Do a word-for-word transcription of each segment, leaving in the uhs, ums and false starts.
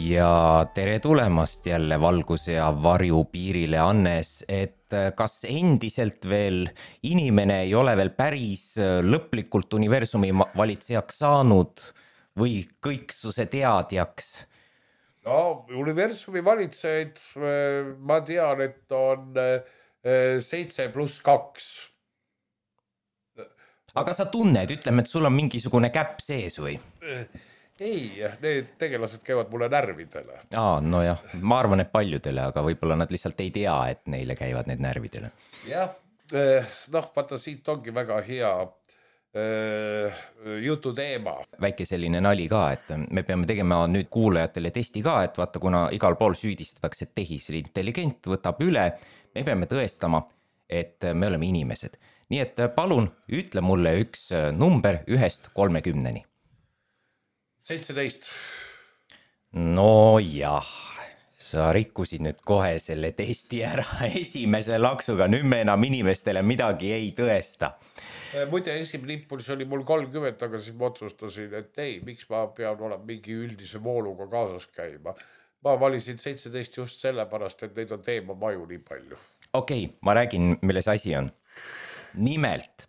Ja tere tulemast jälle valguse ja varju piirile, Annes, et kas endiselt veel inimene ei ole veel päris lõplikult universumi valitsejaks saanud või kõiksuse teadjaks? No, universumi valitsejaid ma tean, et on seitse pluss kaks. Aga sa tunned, ütleme, et sul on mingisugune käpp sees või? Ei, need tegelased käivad mulle närvidele. Aa, no jah, ma arvan, et paljudele, aga võib-olla nad lihtsalt ei tea, et neile käivad need närvidele. Jah, noh, vaata siit ongi väga hea jutu teema. Väike selline nali ka, et me peame tegema nüüd kuulajatele testi ka, et vaata, kuna igal pool süüdistatakse, et tehisintelligent võtab üle, me peame tõestama, et me oleme inimesed. Nii et palun, ütle mulle üks number ühest kolmekümneni. seitseteist. No jah, sa rikkusid nüüd kohe selle testi ära esimese laksuga, nüüd me enam inimestele midagi ei tõesta. Muide, esimene impulss oli mul kolmkümmend, aga siis ma otsustasin, et ei, miks ma pean olema mingi üldise vooluga kaasas käima. Ma valisin seitseteist just sellepärast, et neid on teema maju nii palju. Okei, ma räägin, milles asi on. Nimelt,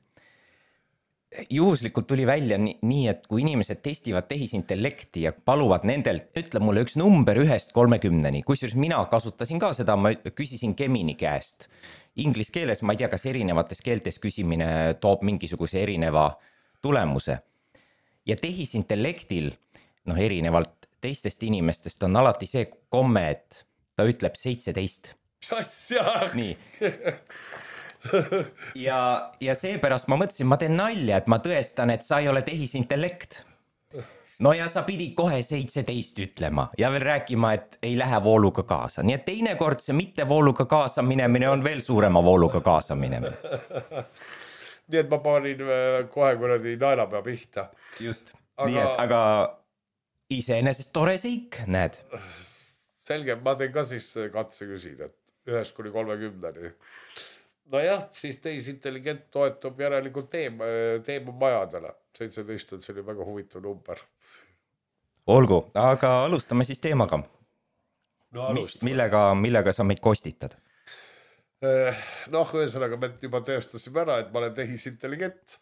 juhuslikult tuli välja nii, et kui inimesed testivad tehisintellekti ja paluvad nendelt, ütle mulle üks number ühest kolmekümneni, kusjuures mina kasutasin ka seda, ma küsisin Gemini käest. Inglis keeles, ma ei tea, kas erinevates keeltes küsimine toob mingisuguse erineva tulemuse. Ja tehisintellektil, noh erinevalt teistest inimestest on alati see komme, et ta ütleb seitseteist. Asja! Nii. Ja, ja seepärast ma mõtlesin, ma teen nalja, et ma tõestan, et sa ei ole tehisintellekt. No ja sa pidid kohe seitseteist ütlema ja veel rääkima, et ei lähe vooluga kaasa. Nii et teinekord see mitte vooluga kaasa minemine on veel suurema vooluga kaasa minemine. Nii et ma panin kohe kuradi naelapea pihta. Just, aga... nii et, aga iseenesest tore seik, näed. Selge, ma teen ka siis katse küsin, et ühest kuni kolmekümneni. No jah, siis tehisintelligent toetub järelikult teema, teema majadele. seitseteist on selline väga huvitav number. Olgu, aga alustame siis teemaga. No alustame. Millega, millega sa meid kostitad? Noh, ühesõnaga me juba tõestasime ära, et ma olen tehisintelligent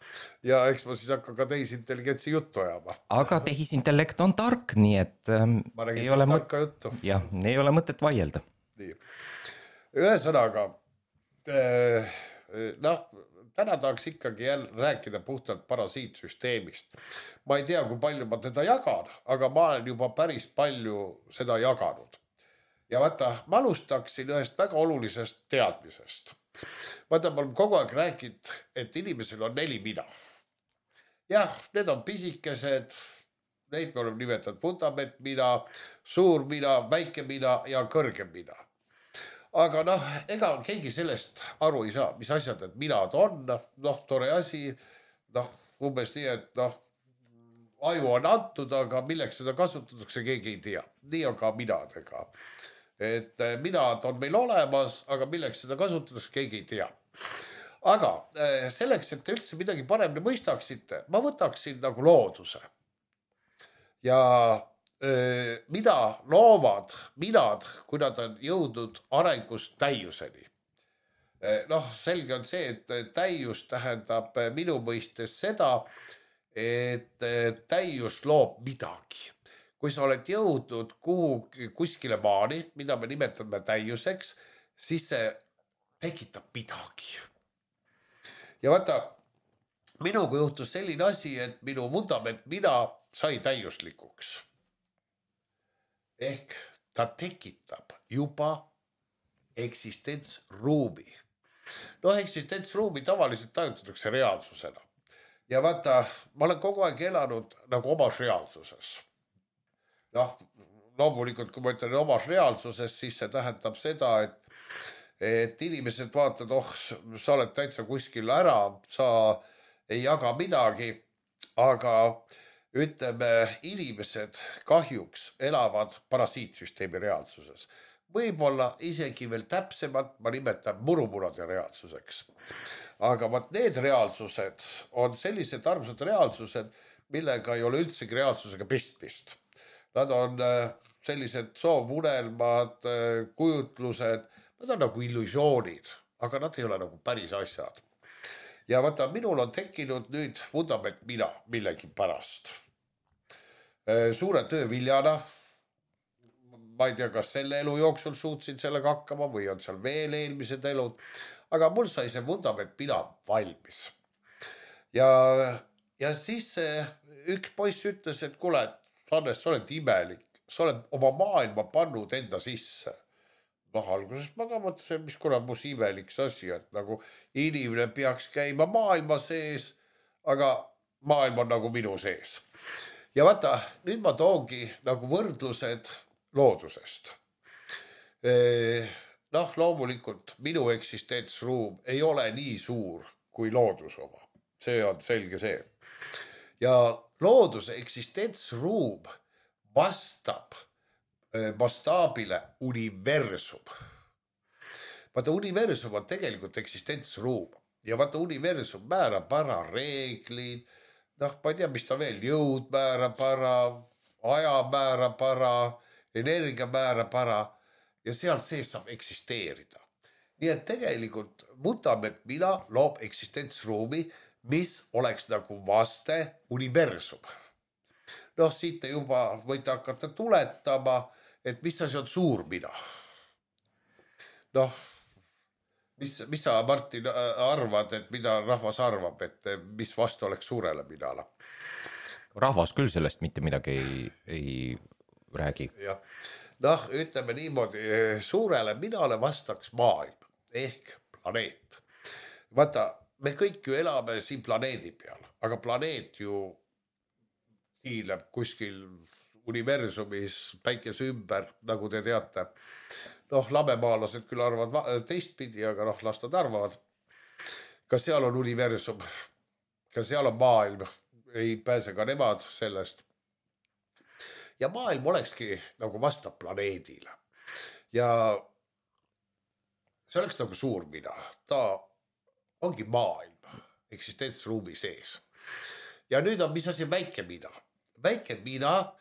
ja eks ma siis hakka ka tehisintelligentsi juttu ajama. Aga tehisintellekt on tark, nii et ähm, ei ole, mõt... juttu. jah, ei ole mõtet vaielda. Nii. Ühesõnaga noh, täna tahaks ikkagi jälle rääkida puhtalt parasiitsüsteemist. Ma ei tea, kui palju ma teda jagan, aga ma olen juba päris palju seda jaganud. Ja vaata, ma alustaksin ühest väga olulisest teadmisest. Vaata, ma olen kogu aeg rääkinud, et inimesel on neli mina. Jah, need on pisikesed, neid me oleme nimetanud fundament mina, suur mina, väike mina ja kõrge mina. Aga noh, ega keegi sellest aru ei saa, mis asjad, et minad on, noh, tore asi, noh, umbes nii, et noh, aju on antud, aga milleks seda kasutatakse, keegi ei tea. Nii on ka minadega. Et minad on meil olemas, aga milleks seda kasutatakse, keegi ei tea. Aga selleks, et te üldse midagi paremini mõistaksite, ma võtaksin nagu looduse. Ja mida loovad minad, kui nad on jõudnud arengust täiuseni. Noh, selge on see, et täius tähendab minu mõistes seda, et täius loob midagi. Kui sa oled jõudnud kuhu, kuskile maani, mida me nimetame täiuseks, siis see tekitab midagi. Ja vaata, minuga juhtus selline asi, et minu vundament mina sai täiuslikuks. Ehk ta tekitab juba eksistentsruumi. No eksistentsruumi tavaliselt tajutatakse reaalsusena. Ja vaata, ma olen kogu aeg elanud nagu omas reaalsuses. Noh, loomulikult, kui ma ütlen omas reaalsuses, siis see tähendab seda, et, et inimesed vaatavad, oh, sa oled täitsa kuskil ära, sa ei jaga midagi, aga ütleme, inimesed kahjuks elavad parasiitsüsteemi reaalsuses. Võib-olla isegi veel täpsemalt ma nimetan murumurade reaalsuseks. Aga vaat need reaalsused on sellised armsad reaalsused, millega ei ole üldsegi reaalsusega pistmist. Nad on sellised soovunelmad, kujutlused, nad on nagu illusioonid, aga nad ei ole nagu päris asjad. Ja vaata, minul on tekkinud nüüd vundament mina millegi pärast. Suure töö viljana, ma ei tea, kas selle elu jooksul suutsin sellega hakkama või on seal veel eelmised elud, aga mul sai see vundament mina valmis. Ja, ja siis üks poiss ütles, et kuule, Hannes, sa oled imelik, sa oled oma maailma pannud enda sisse. Noh, alguses ma ka mõtlesin, mis kuna mus imelik see asi, et nagu inimene peaks käima maailma sees, aga maailm on nagu minu sees. Ja vaata, nüüd ma toongi nagu võrdlused loodusest. Noh, loomulikult minu eksistentsruum ei ole nii suur kui loodus oma. See on selge see. Ja looduse eksistentsruum vastab mastaabile universum. Vaata, universum on tegelikult eksistentsruum. Ja vaata, universum määrab ära reeglid, noh, ma ei tea, mis ta veel, jõud määrab ära, aja määrab ära, energia määrab ära ja seal sees saab eksisteerida. Nii et tegelikult vundament mina loob eksistentsruumi, mis oleks nagu vaste universum. Noh, siit te juba võite hakata tuletama, et mis asi on suur mina. Noh, mis, mis sa, Martin, arvad, et mida rahvas arvab, et mis vastu oleks suurele minale? Rahvas küll sellest mitte midagi ei, ei räägi. Ja. Noh, ütleme niimoodi, suurele minale vastaks maailm ehk planeet. Vaata, me kõik ju elame siin planeedi peal, aga planeet ju hiileb kuskil universumis päikese ümber, nagu te teate. Noh, lamemaalased küll arvavad teistpidi, aga noh, las nad arvavad. Ka seal on universum, ka seal on maailm, ei pääse ka nemad sellest. Ja maailm olekski nagu vastab planeedile. Ja see oleks nagu suur mina. Ta ongi maailm eksistentsruumi sees. Ja nüüd on mis asi väike mina. Väike mina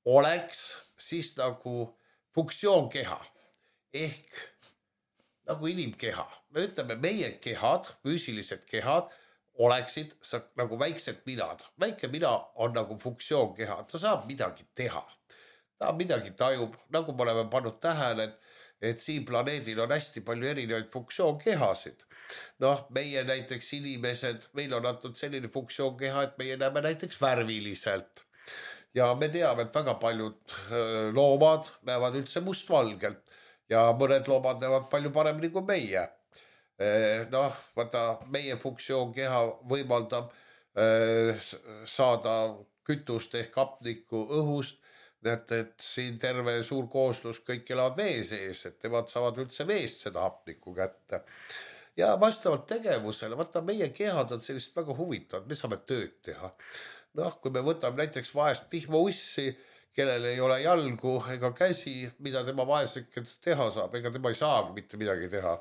oleks siis nagu funktsioonkeha ehk nagu inimkeha. Me ütleme, meie kehad, füüsilised kehad oleksid nagu väiksed minad. Väike mina on nagu funktsioonkeha. Ta saab midagi teha. Ta midagi tajub, nagu me oleme pannud tähele, et et siin planeedil on hästi palju erinevaid funktsioonkehasid. Noh, meie näiteks inimesed, meil on antud selline funktsioonkeha, et meie näeme näiteks värviliselt. Ja me teame, et väga paljud loomad näevad üldse mustvalgelt ja mõned loomad näevad palju paremini kui meie. Noh, vaata, meie funktsioonkeha võimaldab saada kütust ehk hapnikku õhust. Et, et siin terve suur kooslus kõik elavad vee sees, et nemad saavad üldse veest seda hapnikku kätte. Ja vastavalt tegevusele, vaata, meie kehad on sellist väga huvitavad, me saame tööd teha. Noh, kui me võtame näiteks vaest vihmaussi, kellel ei ole jalgu ega käsi, mida tema vaeseket teha saab, ega tema ei saagi mitte midagi teha.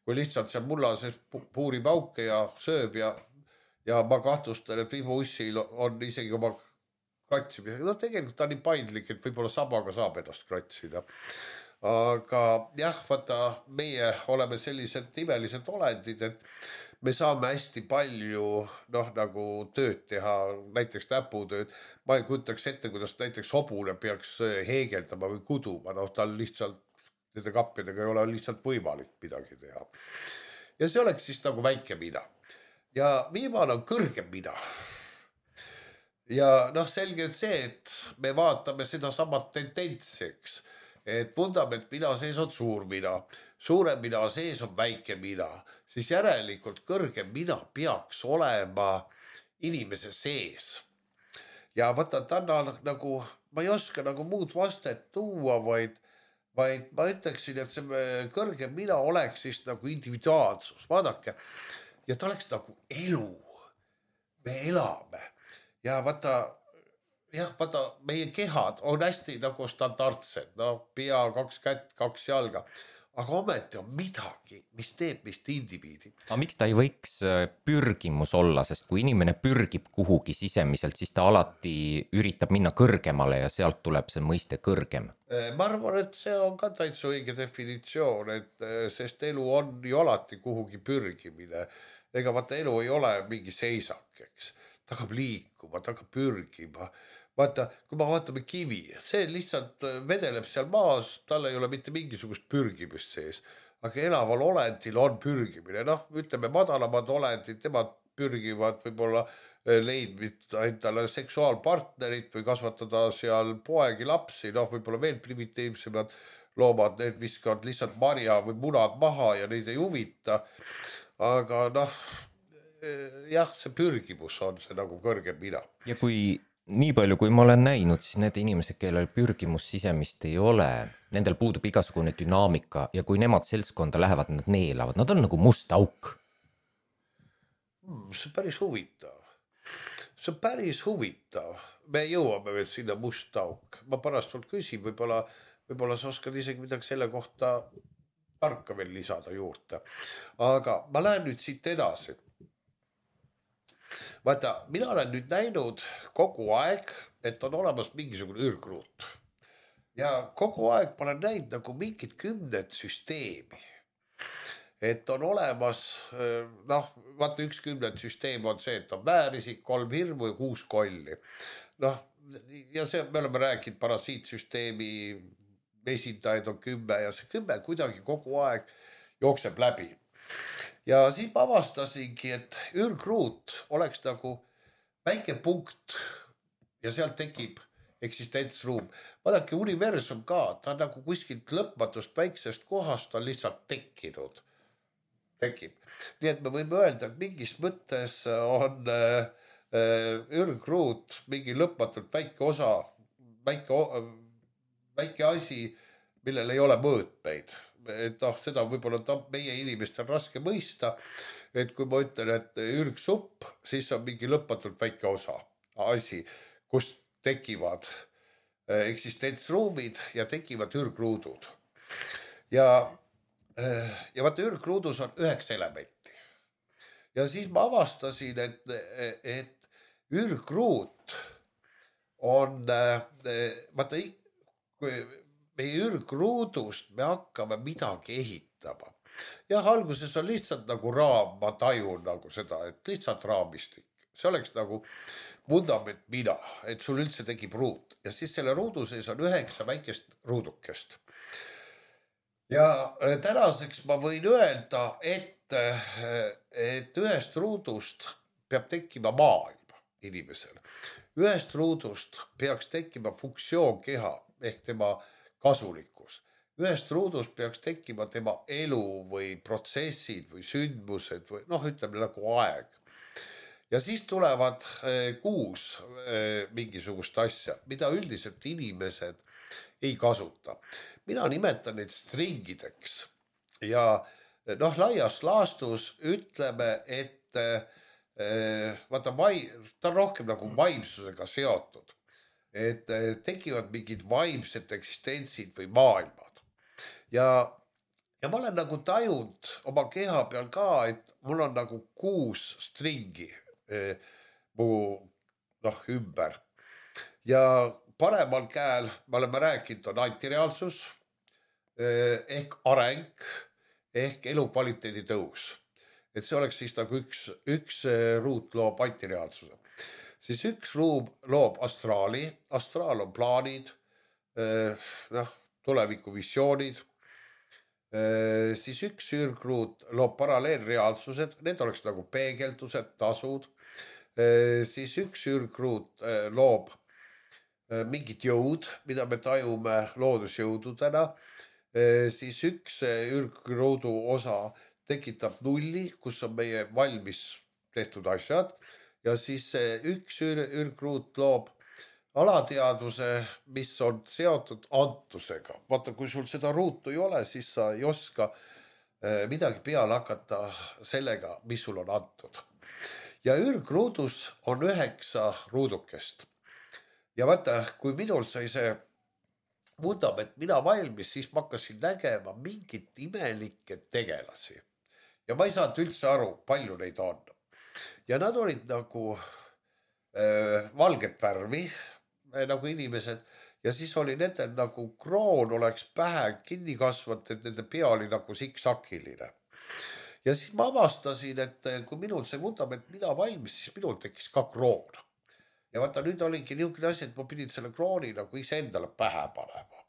Kui lihtsalt seal mulla sees puurib auke ja sööb ja, ja ma kahtlustan, et vihmaussil on isegi oma kratsimisega. No tegelikult ta on nii paindlik, et võib-olla sabaga saab ennast kratsida. Aga jah, vaata, meie oleme sellised imelised olendid, et me saame hästi palju noh, nagu tööd teha, näiteks näputööd. Ma ei kujutaks ette, kuidas näiteks hobune peaks heegeldama või kuduma. Noh, tal lihtsalt, nende kappidega ei ole lihtsalt võimalik midagi teha. Ja see oleks siis nagu väike mina. Ja viimane on kõrgem mina. Ja noh, selge on see, et me vaatame seda samat tendentsiks, et vundament mina sees on suur mina, suure mina sees on väike mina, siis järelikult kõrgem mina peaks olema inimese sees. Ja vaata, täna nagu, ma ei oska nagu muud vastet tuua, vaid, vaid ma ütleksin, et see kõrgem mina oleks siis nagu individuaalsus, vaadake, ja ta oleks nagu elu, me elame. Ja vaata, jah, vaata, meie kehad on hästi nagu standardsed, no pea, kaks kätt, kaks jalga. aga ometi on midagi, mis teeb meist indiviidi. aga miks ta ei võiks pürgimus olla, sest kui inimene pürgib kuhugi sisemiselt, siis ta alati üritab minna kõrgemale ja sealt tuleb see mõiste kõrgem. Ma arvan, et see on ka täitsa õige definitsioon, et sest elu on ju alati kuhugi pürgimine. Ega vaata elu ei ole mingi seisak, eks. Ta hakkab liikuma, ta hakkab pürgima. Vaata, kui ma vaatame kivi, see lihtsalt vedeleb seal maas, tal ei ole mitte mingisugust pürgimist sees. Aga elaval olendil on pürgimine. Noh, ütleme, madalamad olendid, temad pürgivad võib-olla leidmid endale seksuaalpartnerit või kasvatada seal poegi lapsi. Noh, võib-olla veel primitiivsemad loomad, need viskavad lihtsalt marja või munad maha ja neid ei huvita. Aga noh, jah, see pürgimus on see nagu kõrgem mina. Ja kui nii palju, kui ma olen näinud, siis need inimesed, kellel pürgimus sisemist ei ole, nendel puudub igasugune dünaamika ja kui nemad seltskonda lähevad, nad neelavad, nad on nagu must auk. Hmm, see on päris huvitav. See on päris huvitav. Me jõuame veel sinna must auk. Ma pärast sult küsin, võib-olla, võib-olla sa oskad isegi midagi selle kohta tarka veel lisada juurde. Aga ma lähen nüüd siit edasi. Vaata, mina olen nüüd näinud kogu aeg, et on olemas mingisugune ürgruut. Ja kogu aeg ma olen näinud nagu mingid kümned süsteemi. Et on olemas, noh, vaata üks kümned süsteem on see, et on väärisik, kolm hirmu ja kuus kolli. Noh, ja see, me oleme rääkinud parasiitsüsteemi esindajaid on kümme ja see kümme kuidagi kogu aeg jookseb läbi. Ja siis ma avastasingi, et ürgruut oleks nagu väike punkt ja sealt tekib eksistentsruum. Vaadake, universum ka, ta on nagu kuskilt lõpmatust väiksest kohast on lihtsalt tekkinud. Tekib. Nii et me võime öelda, et mingis mõttes on äh, ürgruut mingi lõpmatult väike osa, väike väike asi, millel ei ole mõõtmeid. Et noh, seda võib-olla meie inimestel raske mõista, et kui ma ütlen, et ürgsupp, siis on mingi lõpmatult väike osa asi, kus tekivad eksistentsruumid ja tekivad ürgruudud. Ja, ja vaata, ürgruudus on üheksa elementi. Ja siis ma avastasin, et, et ürgruut on, vaata, kui meie ürgruudust me hakkame midagi ehitama. Jah, alguses on lihtsalt nagu raam, ma tajun nagu seda, et lihtsalt raamistik. See oleks nagu vundament mina, et sul üldse tekib ruut. Ja siis selle ruudu sees on üheksa väikest ruudukest. Ja tänaseks ma võin öelda, et, et ühest ruudust peab tekkima maailm inimesel. Ühest ruudust peaks tekkima funktsioon keha ehk tema kasulikkus. Ühest ruudust peaks tekkima tema elu või protsessid või sündmused või noh, ütleme nagu aeg. Ja siis tulevad kuus mingisugust asja, mida üldiselt inimesed ei kasuta. Mina nimetan neid stringideks ja noh, laias laastus ütleme, et vaata, ta on rohkem nagu vaimsusega seotud. Et tekivad mingid vaimsed eksistentsid või maailmad. Ja, ja ma olen nagu tajunud oma keha peal ka, et mul on nagu kuus stringi eh, mu noh, ümber. Ja paremal käel, me oleme rääkinud, on antireaalsus eh, ehk areng ehk elukvaliteedi tõus. Et see oleks siis nagu üks, üks ruut loob antireaalsuse. Siis üks ruum loob astraali, astraal on plaanid, noh, tulevikuvisioonid, siis üks ürgruut loob paralleelreaalsused, need oleks nagu peegeldused, tasud, siis üks ürgruut loob mingid jõud, mida me tajume loodusjõududena, siis üks ürgruudu osa tekitab nulli, kus on meie valmis tehtud asjad, ja siis üks ürgruut loob alateadvuse, mis on seotud antusega. Vaata, kui sul seda ruutu ei ole, siis sa ei oska midagi peale hakata sellega, mis sul on antud. Ja ürgruudus on üheksa ruudukest. Ja vaata, kui minul sai see vundament mina valmis, siis ma hakkasin nägema mingit imelikke tegelasi. Ja ma ei saanud üldse aru, palju neid on. Ja nad olid nagu äh, valget värvi, äh, nagu inimesed. Ja siis oli nendel nagu kroon oleks pähe kinni kasvanud, et nende pea oli nagu siksakiline. Ja siis ma avastasin, et kui minul see vundament mina valmis, siis minul tekkis ka kroon. Ja vaata, nüüd olingi niisugune asi, et ma pidin selle krooni nagu ise endale pähe panema.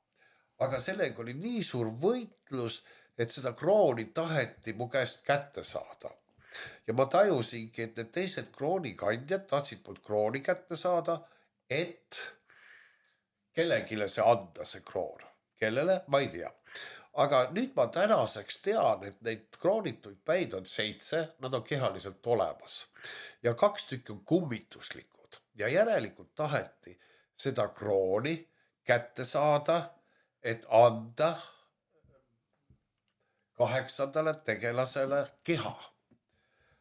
Aga sellega oli nii suur võitlus, et seda krooni taheti mu käest kätte saada. Ja ma tajusingi, et need teised kroonikandjad tahtsid mult krooni kätte saada, et kellegile see anda see kroon. Kellele? Ma ei tea. Aga nüüd ma tänaseks tean, et neid kroonituid päid on seitse, nad on kehaliselt olemas. Ja kaks tükki on kummituslikud. Ja järelikult taheti seda krooni kätte saada, et anda kaheksandale tegelasele keha.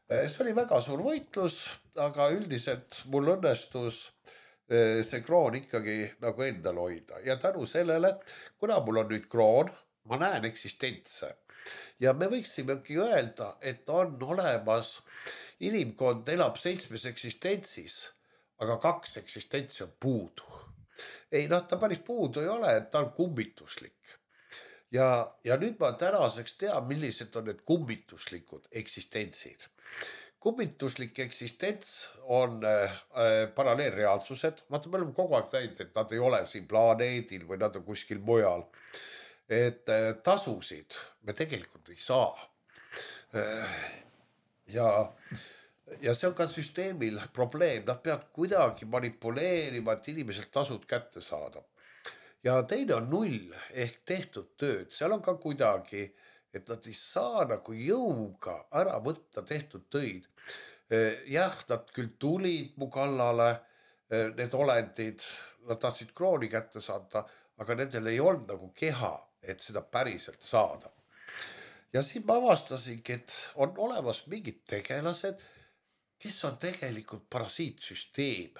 See oli väga suur võitlus, aga üldiselt mul õnnestus see kroon ikkagi nagu endal hoida. Ja tänu sellele, kuna mul on nüüd kroon, ma näen eksistentse. Ja me võiksimegi öelda, et on olemas, inimkond elab seitsmes eksistentsis, aga kaks eksistentsi on puudu. Ei, noh, ta päris puudu ei ole, et ta on kummituslik. Ja, ja nüüd ma tänaseks tean, millised on need kummituslikud eksistentsid. Kummituslik eksistents on äh, paralleelreaalsused. Vaata, me oleme kogu aeg näinud, et nad ei ole siin planeedil või nad on kuskil mujal. Et äh, tasusid me tegelikult ei saa. Äh, ja, ja see on ka süsteemil probleem. Nad peavad kuidagi manipuleerima, et inimeselt tasud kätte saada. Ja teine on null ehk tehtud tööd. Seal on ka kuidagi, et nad ei saa nagu jõuga ära võtta tehtud töid. Jah, nad küll tulid mu kallale, need olendid, nad tahtsid krooni kätte saada, aga nendel ei olnud nagu keha, et seda päriselt saada. Ja siin ma avastasingi, et on olemas mingid tegelased, kes on tegelikult parasiitsüsteem.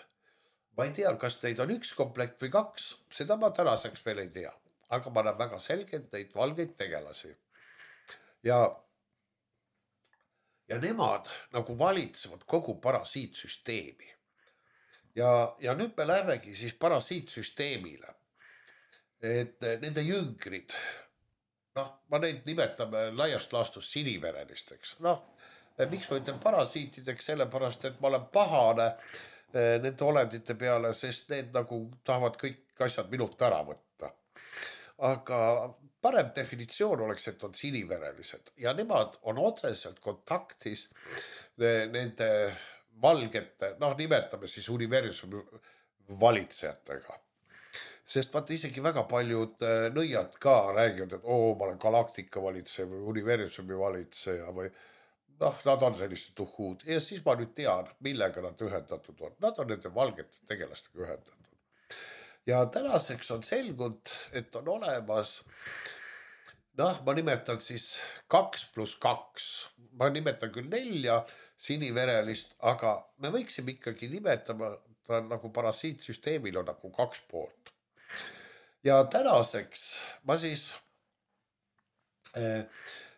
Ma ei tea, kas neid on üks komplekt või kaks, seda ma tänaseks veel ei tea. Aga ma näen väga selgelt neid valgeid tegelasi. Ja, ja nemad nagu valitsevad kogu parasiitsüsteemi. Ja, ja nüüd me lähemegi siis parasiitsüsteemile. Et nende jüngrid, noh, ma neid nimetame laiast laastust siniverelisteks. Noh, miks ma ütlen parasiitideks, sellepärast, et ma olen pahane nende olendite peale, sest need nagu tahavad kõik asjad minult ära võtta. Aga parem definitsioon oleks, et on siniverelised ja nemad on otseselt kontaktis nende valgete, noh nimetame siis universumi valitsejatega. Sest vaata isegi väga paljud nõiad ka räägivad, et oo, ma olen galaktika valitseja või universumi valitseja või noh, nad on sellised tuhud ja siis ma nüüd tean, millega nad ühendatud on. Nad on nende valgete tegelastega ühendatud. Ja tänaseks on selgunud, et on olemas, noh, ma nimetan siis kaks pluss kaks. Ma nimetan küll nelja siniverelist, aga me võiksime ikkagi nimetama, ta nagu parasiitsüsteemil on nagu kaks poolt. Ja tänaseks ma siis Eh,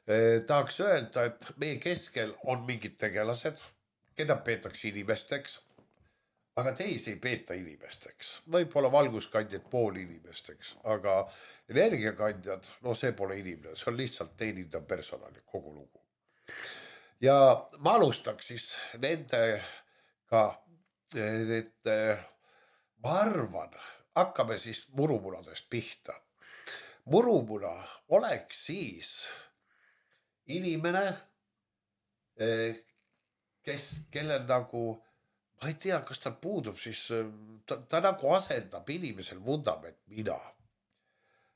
eh, tahaks öelda, et meie keskel on mingid tegelased, keda peetakse inimesteks, aga teisi ei peeta inimesteks. Võib-olla valguskandjad pool inimesteks, aga energiakandjad, no see pole inimene, see on lihtsalt teenindav personal ja kogu lugu. Ja ma alustaks siis nendega, et ma arvan, hakkame siis murumunadest pihta. Murumuna oleks siis inimene, kes, kellel nagu, ma ei tea, kas tal puudub siis, ta, ta nagu asendab inimesel vundament mina.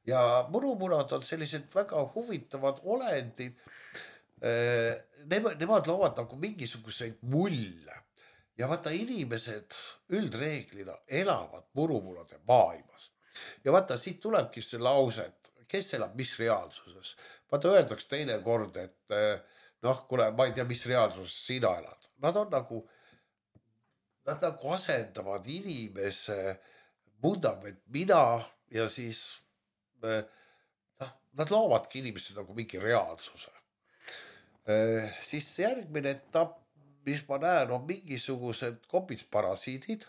Ja murumunad on sellised väga huvitavad olendid. Nemad, nemad loovad nagu mingisuguseid mulle. Ja vaata, inimesed üldreeglina elavad murumunade maailmas. Ja vaata, siit tulebki see lause, et kes elab mis reaalsuses. Vaata, öeldaks teine kord, et noh, kuule, ma ei tea, mis reaalsuses sina elad. Nad on nagu, nad nagu asendavad inimese vundament mina ja siis noh, nad loovadki inimesed nagu mingi reaalsuse. Siis järgmine etapp, mis ma näen, on mingisugused kopitsparasiidid.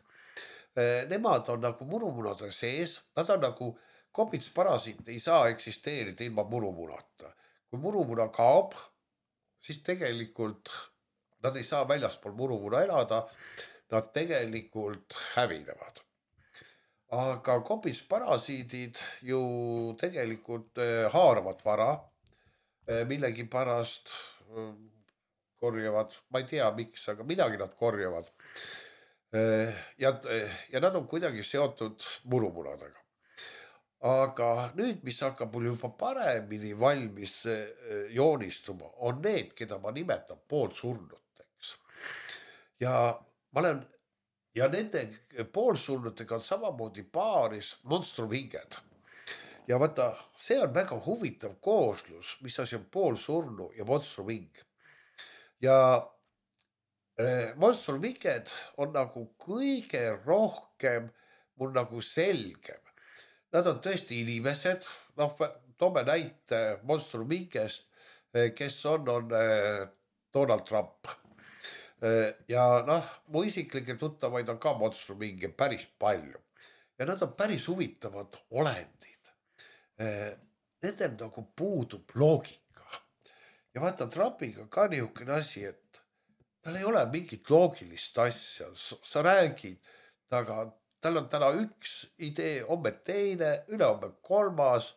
Nemad on nagu murumunade sees, nad on nagu kopitsparasiit ei saa eksisteerida ilma murumunata. Kui murumuna kaob, siis tegelikult nad ei saa väljaspool murumuna elada, nad tegelikult hävinevad. Aga kopitsparasiidid ju tegelikult haaravad vara, millegi pärast korjavad, ma ei tea miks, aga midagi nad korjavad. Ja, ja nad on kuidagi seotud murumunadega. Aga nüüd, mis hakkab mul juba paremini valmis joonistuma, on need, keda ma nimetan poolsurnuteks. Ja ma olen, ja nende poolsurnutega on samamoodi paaris monstrumhinged. Ja vaata, see on väga huvitav kooslus, mis asi on poolsurnu ja monstrumhing. Ja äh, monstrumhinged on nagu kõige rohkem mul nagu selgem. Nad on tõesti inimesed, noh, toome näite monstrumhingest, kes on, on Donald Trump. Ja noh, mu isiklikke tuttavaid on ka monstrumhinge päris palju. Ja nad on päris huvitavad olendid. Nendel nagu puudub loogika. Ja vaata Trumpiga ka niisugune asi, et tal ei ole mingit loogilist asja. Sa räägid, taga tal on täna üks idee, homme teine, ülehomme kolmas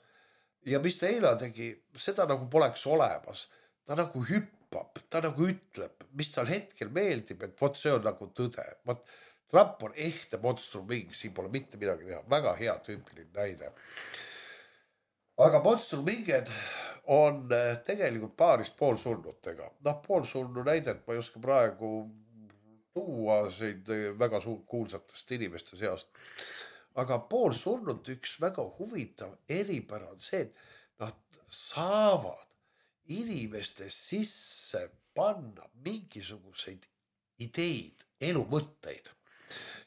ja mis ta eile tegi, seda nagu poleks olemas. Ta nagu hüppab, ta nagu ütleb, mis tal hetkel meeldib, et vot see on nagu tõde. Vot Trump on ehte monstrumhing, siin pole mitte midagi teha, väga hea tüüpiline näide. Aga monstrumhinged on tegelikult paaris poolsurnutega. Noh, poolsurnu näidet ma ei oska praegu tuua seid väga suur kuulsatest inimeste seast. Aga poolsurnut üks väga huvitav eripära on see, et nad saavad inimeste sisse panna mingisuguseid ideid, elumõtteid.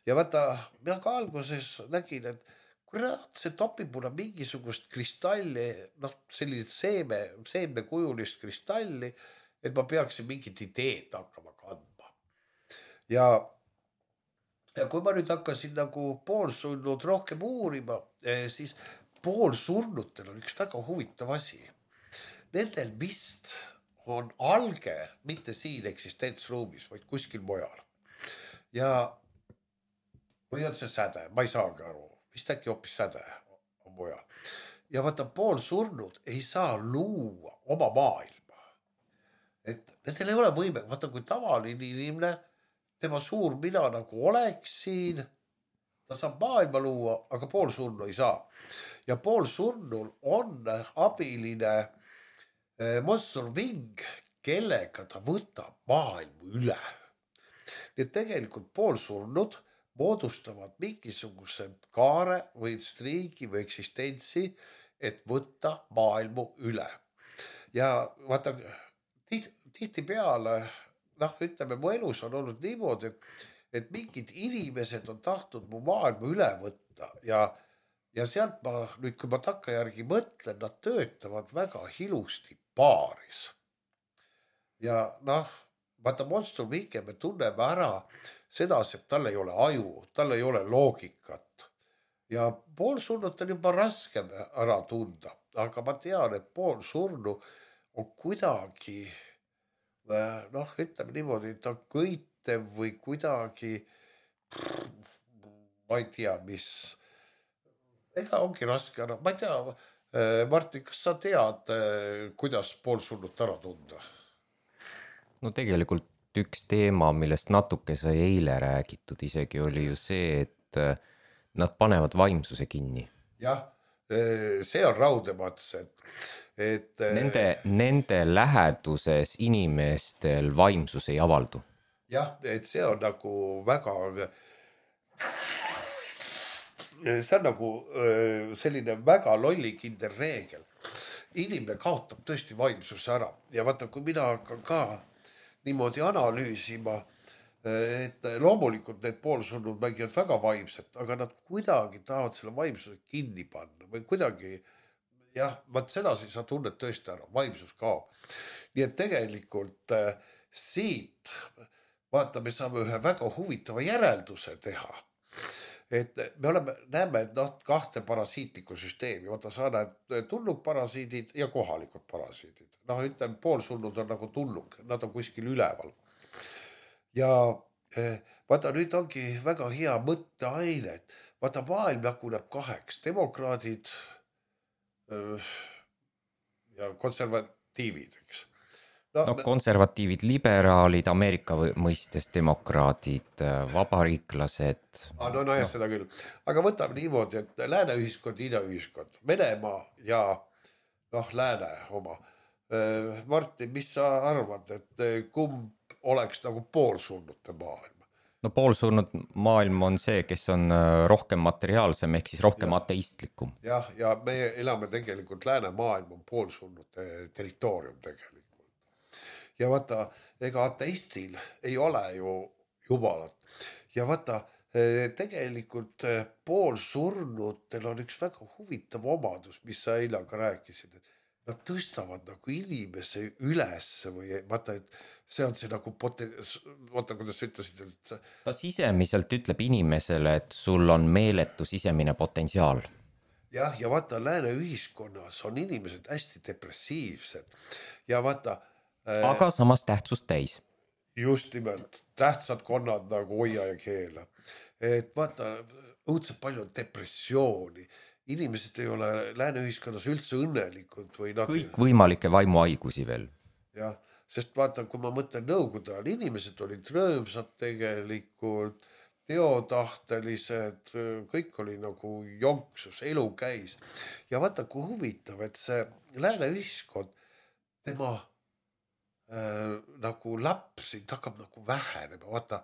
Ja vaata, mina ka alguses nägin, et kurat, see topib mulle mingisugust kristalli, noh, sellist seeme, seemnekujulist kristalli, et ma peaksin mingit ideed hakkama kandma. Ja, ja kui ma nüüd hakkasin nagu poolsurnud rohkem uurima, siis poolsurnutel on üks väga huvitav asi. Nendel vist on alge mitte siin eksistentsruumis, vaid kuskil mujal. Ja või on see säde, ma ei saagi aru, vist äkki hoopis säde on mujal. Ja vaata, poolsurnud ei saa luua oma maailma. Et nendel ei ole võime, vaata kui tavaline inimene, tema suur mina nagu oleks siin, ta saab maailma luua, aga poolsurnu ei saa. Ja poolsurnul on abiline monstrumhing, kellega ta võtab maailmu üle. Nii et tegelikult poolsurnud moodustavad mingisuguse kaare või striigi või eksistentsi, et võtta maailmu üle. Ja vaata, tihti peale noh, ütleme, mu elus on olnud niimoodi, et, et mingid inimesed on tahtnud mu maailma üle võtta ja, ja sealt ma nüüd, kui ma takkajärgi mõtlen, nad töötavad väga ilusti paaris. Ja noh, vaata monstrumhinge me tunneme ära sedasi, et tal ei ole aju, tal ei ole loogikat. Ja poolsurnut on juba raskem ära tunda, aga ma tean, et poolsurnu on kuidagi noh, ütleme niimoodi, ta kõitev või kuidagi, ma ei tea, mis, ega ongi raske ära, ma ei tea, Martin, kas sa tead, kuidas poolsurnut ära tunda? No tegelikult üks teema, millest natuke sai eile räägitud isegi, oli ju see, et nad panevad vaimsuse kinni. Jah, see on raudemats, et Et, nende, nende läheduses inimestel vaimsus ei avaldu. Jah, et see on nagu väga, see on nagu selline väga lollikindel reegel. Inimene kaotab tõesti vaimsuse ära ja vaata, kui mina hakkan ka niimoodi analüüsima, et loomulikult need poolsurnud mängivad väga vaimset, aga nad kuidagi tahavad selle vaimsuse kinni panna või kuidagi jah, vaat sedasi sa tunned tõesti ära, vaimsus kaob. Nii et tegelikult äh, siit, vaata, me saame ühe väga huvitava järelduse teha. Et me oleme, näeme, et noh, kahte parasiitlikku süsteemi, vaata sa näed tulnukparasiidid ja kohalikud parasiidid. Noh, ütleme, poolsurnud on nagu tulnuk, nad on kuskil üleval. Ja eh, vaata, nüüd ongi väga hea mõtteaine, et vaata, maailm jaguneb kaheks, demokraadid öö, ja konservatiivid, eks. No, no konservatiivid, liberaalid, Ameerika mõistes demokraadid, vabariiklased. Ah, no, no jah, no. Seda küll. Aga võtame niimoodi, et lääne ühiskond, ida ühiskond, Venemaa ja noh, lääne oma. Martin, mis sa arvad, et kumb oleks nagu poolsurnute maailm? No poolsurnud maailm on see, kes on rohkem materiaalsem, ehk siis rohkem ja. ateistlikum. Jah, ja me elame tegelikult lääne maailm on poolsurnute territoorium tegelikult. Ja vaata, ega ateistil ei ole ju jumalat. Ja vaata, tegelikult poolsurnutel on üks väga huvitav omadus, mis sa eile ka rääkisid, et nad tõstavad nagu inimese üles või vaata, et see on see nagu poten... vaata, kuidas sa ütlesid, et see... ta sisemiselt ütleb inimesele, et sul on meeletu sisemine potentsiaal. Jah, ja vaata, lääne ühiskonnas on inimesed hästi depressiivsed ja vaata aga samas tähtsust täis. Just nimelt, tähtsad konnad nagu hoia ja keela. Et vaata, õudselt palju on depressiooni. Inimesed ei ole lääne ühiskonnas üldse õnnelikud. Või nad... kõik võimalikke vaimuhaigusi veel. Jah, sest vaata, kui ma mõtlen nõukogude ajal, inimesed olid rõõmsad tegelikult, teotahtelised, kõik oli nagu jonksus, elu käis. Ja vaata, kui huvitav, et see lääne ühiskond, tema Äh, nagu lapsid hakkab nagu vähenema, vaata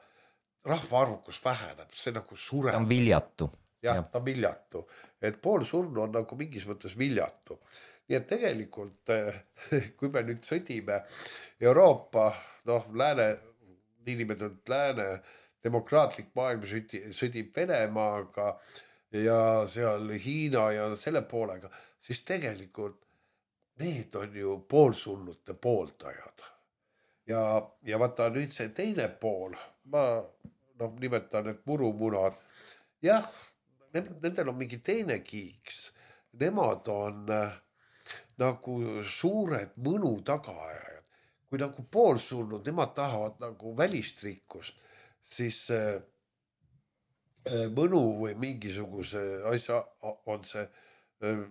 rahvaarvukus väheneb, see nagu sureb. Ta on viljatu. Jah, ja. Ta on viljatu, et pool surnu on nagu mingis mõttes viljatu. Nii et tegelikult, kui me nüüd sõdime Euroopa, noh, lääne, niinimetatud lääne demokraatlik maailm sõdib Venemaaga ja seal Hiina ja selle poolega, siis tegelikult need on ju poolsunnute pooldajad. Ja, ja vaata nüüd see teine pool, ma no, nimetan need murumunad, jah, nendel on mingi teine kiiks, nemad on äh, nagu suured mõnu tagaajad. Kui nagu poolsurnud, nemad tahavad nagu välist rikkust, siis äh, mõnu või mingisuguse asja on see, äh,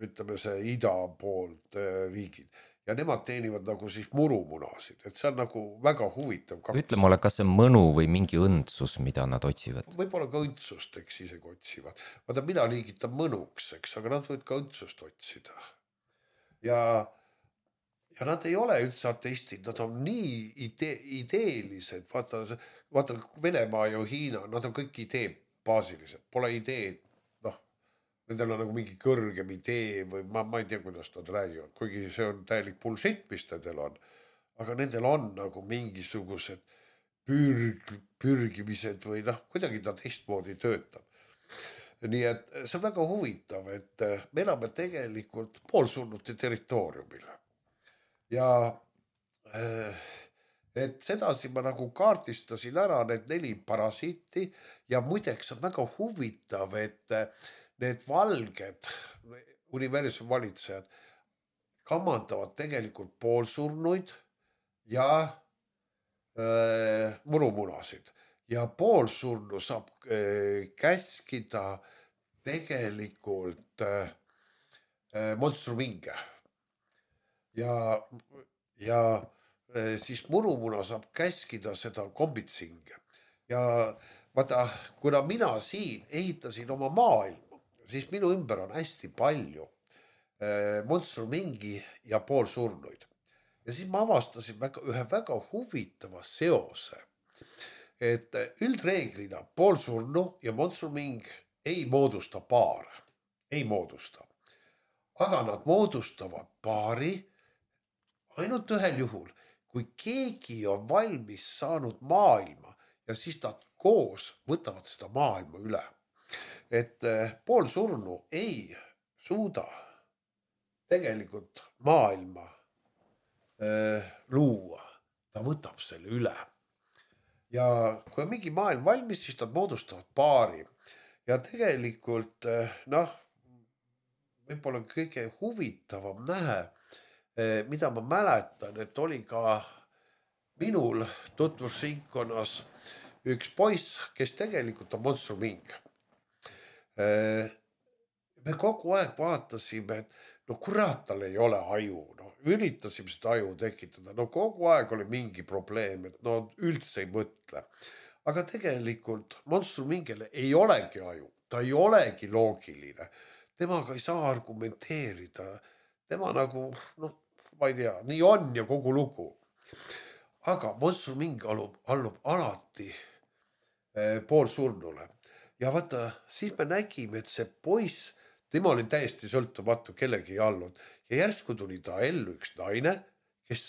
ütleme see ida poolt äh, riigid. Ja nemad teenivad nagu siis murumunasid, et see on nagu väga huvitav. Ütle mulle, kas see on mõnu või mingi õndsus, mida nad otsivad? Võib-olla ka õndsust, eks isegi otsivad. Vaata, mina liigitan mõnuks, eks, aga nad võid ka õndsust otsida. Ja, ja nad ei ole üldse ateistid, nad on nii ide, ideelised. Vaata, vaata, Venemaa ja Hiina, nad on kõik idee baasilised, pole ideed. Nendel on nagu mingi kõrgem idee või ma, ma ei tea, kuidas nad räägivad, kuigi see on täielik bullshit, mis nendel on. Aga nendel on nagu mingisugused pürg, pürgimised või noh, kuidagi ta teistmoodi töötab. Nii et see on väga huvitav, et me elame tegelikult poolsunnute territooriumil. Ja et sedasi ma nagu kaardistasin ära need neli parasiiti ja muideks on väga huvitav, et need valged universumi valitsejad kamandavad tegelikult poolsurnuid ja äh, murumunasid. Ja poolsurnu saab äh, käskida tegelikult äh, monstruminge. Ja, ja äh, siis murumuna saab käskida seda kombitsinge. Ja vaata, kuna mina siin ehitasin oma maailma, siis minu ümber on hästi palju äh, monstrumingi ja poolsurnuid. Ja siis ma avastasin väga, ühe väga huvitava seose, et üldreeglina poolsurnu ja monstruming ei moodusta paare, ei moodusta. Aga nad moodustavad paari ainult ühel juhul, kui keegi on valmis saanud maailma ja siis nad koos võtavad seda maailma üle. Et poolsurnu ei suuda tegelikult maailma äh, luua, ta võtab selle üle. Ja kui on mingi maailm valmis, siis nad moodustavad paari. Ja tegelikult, noh, võib-olla kõige huvitavam nähe, mida ma mäletan, et oli ka minul tutvusringkonnas üks poiss, kes tegelikult on Monstrum Inc. Me kogu aeg vaatasime, et no kurat, tal ei ole aju, no üritasime seda aju tekitada, no kogu aeg oli mingi probleem, et no üldse ei mõtle. Aga tegelikult Monstrum Inc'ile ei olegi aju, ta ei olegi loogiline, temaga ei saa argumenteerida, tema nagu, noh, ma ei tea, nii on ja kogu lugu. Aga Monstrum Inc allub, allub alati eh, poolsurnule. Ja vaata, siis me nägime, et see poiss, tema oli täiesti sõltumatu, kellegi ei allud. Ja järsku tuli ta ellu üks naine, kes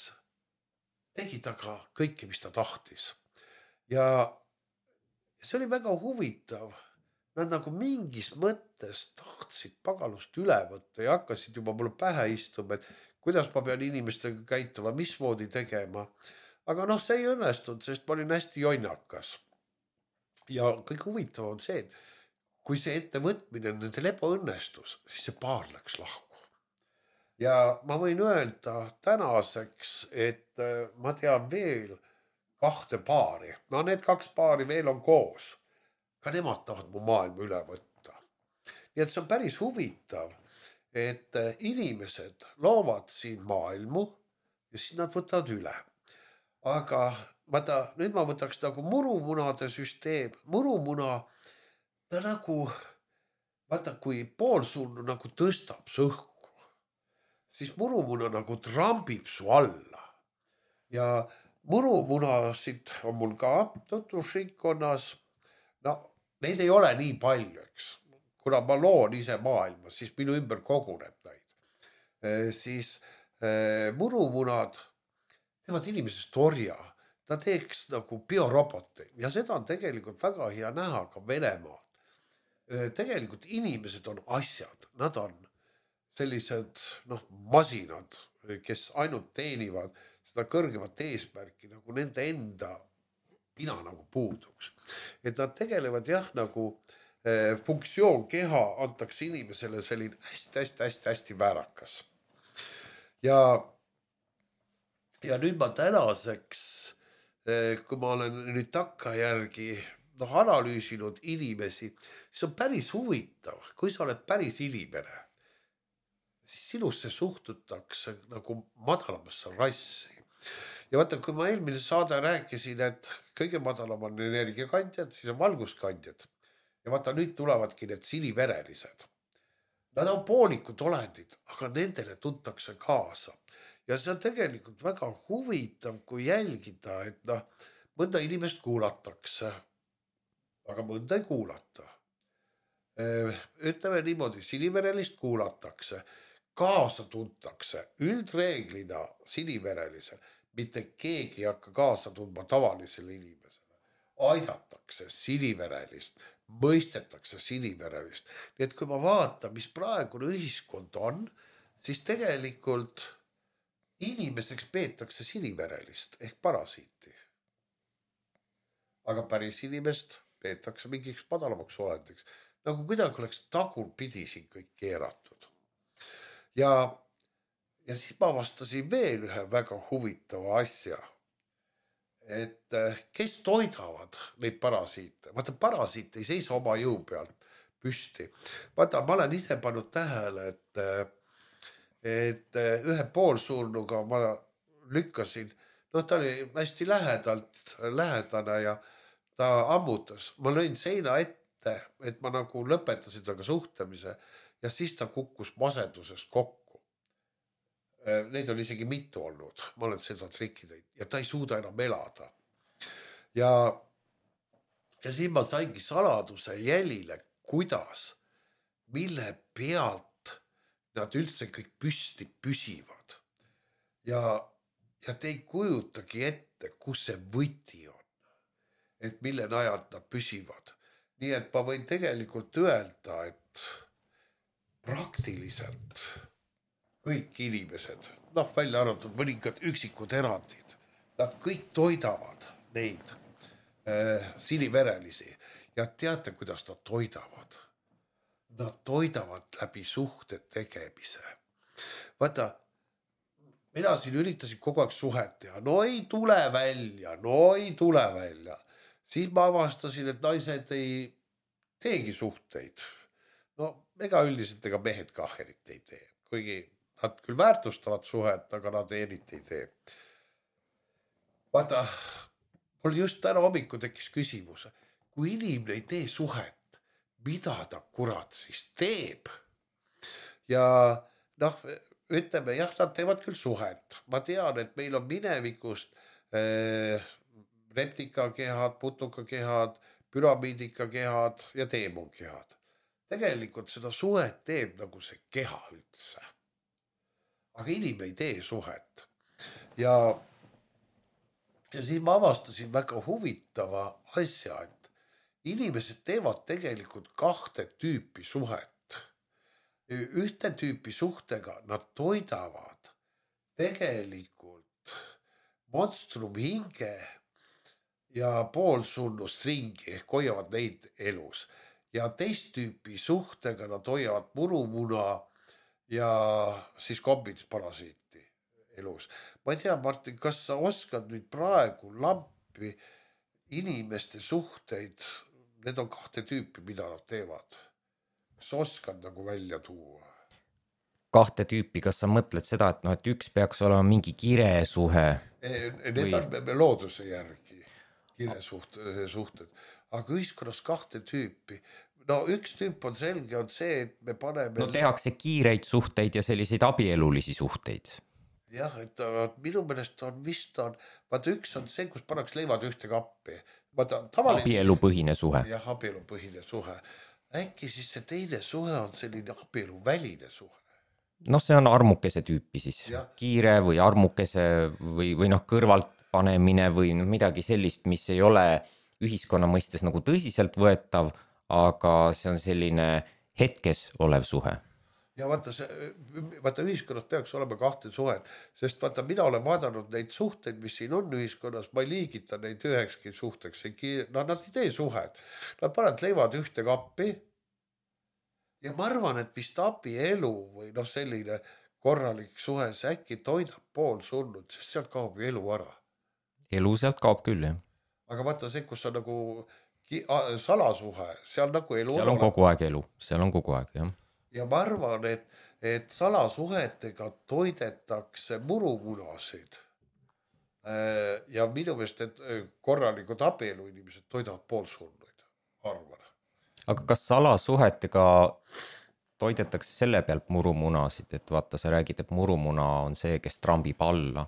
tegi taga kõike, mis ta tahtis. Ja see oli väga huvitav. Nad nagu mingis mõttes tahtsid pagalust üle võtta ja hakkasid juba mulle pähe istuma, et kuidas ma pean inimestega käituma, mismoodi tegema. Aga noh, see ei õnnestunud, sest ma olin hästi jonnakas. Ja kõik huvitav on see, et kui see ettevõtmine nendel ebaõnnestus, siis see paar läks lahku. Ja ma võin öelda tänaseks, et ma tean veel kahte paari. No need kaks paari veel on koos. Ka nemad tahavad mu maailma üle võtta. Nii et see on päris huvitav, et inimesed loovad siin maailmu ja siis nad võtavad üle. Aga vaata, nüüd ma võtaks nagu murumunade süsteem. Murumuna, ta nagu, vaata, kui poolsurnu nagu tõstab sõhku, siis murumuna nagu trambib su alla. Ja murumunasid on mul ka tutvusringkonnas. No, neid ei ole nii palju, eks. Kuna ma loon ise maailma, siis minu ümber koguneb neid. E, siis e, murumunad teevad inimesest orja. Ta teeks nagu bioroboti ja seda on tegelikult väga hea näha ka Venemaal. E, tegelikult inimesed on asjad, nad on sellised noh, masinad, kes ainult teenivad seda kõrgemat eesmärki, nagu nende enda pina nagu puuduks. Et nad tegelevad jah, nagu eh, funktsioon keha antaks inimesele selline hästi, hästi, hästi, hästi väärakas. Ja, ja nüüd ma tänaseks, eh, kui ma olen nüüd takkajärgi noh, analüüsinud inimesi, siis on päris huvitav, kui sa oled päris inimene, siis sinusse suhtutakse nagu madalamasse rassi. Ja vaata, kui ma eelmine saade rääkisin, et kõige madalam on energiakandjad, siis on valguskandjad. Ja vaata, nüüd tulevadki need siniverelised. Nad on poolikud olendid, aga nendele tuntakse kaasa. Ja see on tegelikult väga huvitav, kui jälgida, et noh, mõnda inimest kuulatakse, aga mõnda ei kuulata. Ütleme niimoodi, siniverelist kuulatakse, kaasa tuntakse, üldreeglina siniverelisel. Mitte keegi ei hakka kaasa tundma tavalisele inimesele. Aidatakse siniverelist, mõistetakse siniverelist. Nii et kui ma vaatan, mis praegune ühiskond on, siis tegelikult inimeseks peetakse siniverelist ehk parasiiti. Aga päris inimest peetakse mingiks madalamaks olendiks. Nagu kuidagi oleks tagurpidi siin kõik keeratud. Ja Ja siis ma vastasin veel ühe väga huvitava asja, et kes toidavad neid parasiite. Vaata, parasiit ei seisa oma jõu pealt püsti. Vaata, ma olen ise pannud tähele, et, et ühe poolsurnuga ma lükkasin, noh, ta oli hästi lähedalt, lähedane ja ta ammutas. Ma lõin seina ette, et ma nagu lõpetasin taga suhtlemise ja siis ta kukkus masenduses kokku. Neid on isegi mitu olnud, ma olen seda trikki teinud ja ta ei suuda enam elada. Ja, ja siis ma saingi saladuse jälile, kuidas, mille pealt nad üldse kõik püsti püsivad. Ja, ja te ei kujutagi ette, kus see võti on, et mille najalt nad püsivad. Nii et ma võin tegelikult öelda, et praktiliselt kõik inimesed, noh välja arvatud mõningad üksikud erandid, nad kõik toidavad neid äh, siniverelisi ja teate, kuidas nad toidavad? Nad toidavad läbi suhte tegemise. Vaata, mina siin üritasin kogu aeg suhet teha, no ei tule välja, no ei tule välja. Siis ma avastasin, et naised ei teegi suhteid. No ega üldiselt ega mehed ka eriti ei tee, kuigi nad küll väärtustavad suhet, aga nad eriti ei tee. Vaata, mul just täna hommiku tekkis küsimus, kui inimene ei tee suhet, mida ta kurat siis teeb? Ja noh, ütleme, jah, nad teevad küll suhet. Ma tean, et meil on minevikust äh, reptikakehad, putukakehad, püramiidikakehad ja teemonkehad. Tegelikult seda suhet teeb nagu see keha üldse. Aga inimene ei tee suhet. Ja, ja siis ma avastasin väga huvitava asja, et inimesed teevad tegelikult kahte tüüpi suhet. Ühte tüüpi suhtega nad toidavad tegelikult monstrum hinge ja poolsunnust ringi ehk hoiavad neid elus. Ja teist tüüpi suhtega nad hoiavad murumuna ja siis kombitsparasiiti elus. Ma ei tea, Martin, kas sa oskad nüüd praegu lampi inimeste suhteid, need on kahte tüüpi, mida nad teevad. Kas sa oskad nagu välja tuua? Kahte tüüpi, kas sa mõtled seda, et, no, et üks peaks olema mingi kiresuhe? Need või... on looduse järgi kiresuhted, aga ühiskonnas kahte tüüpi. No üks tüüp on selge, on see, et me paneme... No tehakse kiireid suhteid ja selliseid abielulisi suhteid. Jah, et minu meelest on vist on, vaata üks on see, kus pannaks leivad ühte kappi. Vaata, tavaline... Abielupõhine suhe. Jah, abielupõhine suhe. Äkki siis see teine suhe on selline abieluväline suhe. No see on armukese tüüpi siis, ja. Kiire või armukese või, või noh kõrvalt panemine või midagi sellist, mis ei ole ühiskonna mõistes nagu tõsiselt võetav, aga see on selline hetkes olev suhe. Ja vaata, see, vaata ühiskonnas peaks olema kahte suhet, sest vaata mina olen vaadanud neid suhteid, mis siin on ühiskonnas, ma ei liigita neid ühekski suhteks, no nad ei tee suhed, nad panevad leivad ühte kappi ja ma arvan, et vist abielu või noh selline korralik suhe, see äkki toidab pool surnud, sest sealt kaob elu ära. Elu sealt kaob küll, jah. Aga vaata see, kus on nagu salasuhe, seal nagu elu seal on kogu aeg elu, seal on kogu aeg, jah. Ja ma arvan, et, et salasuhetega toidetakse murumunasid. Ja minu meelest, et korralikud abielu inimesed toidavad poolsurnuid, arvan. Aga kas salasuhetega toidetakse selle pealt murumunasid, et vaata, sa räägid, et murumuna on see, kes trambib alla.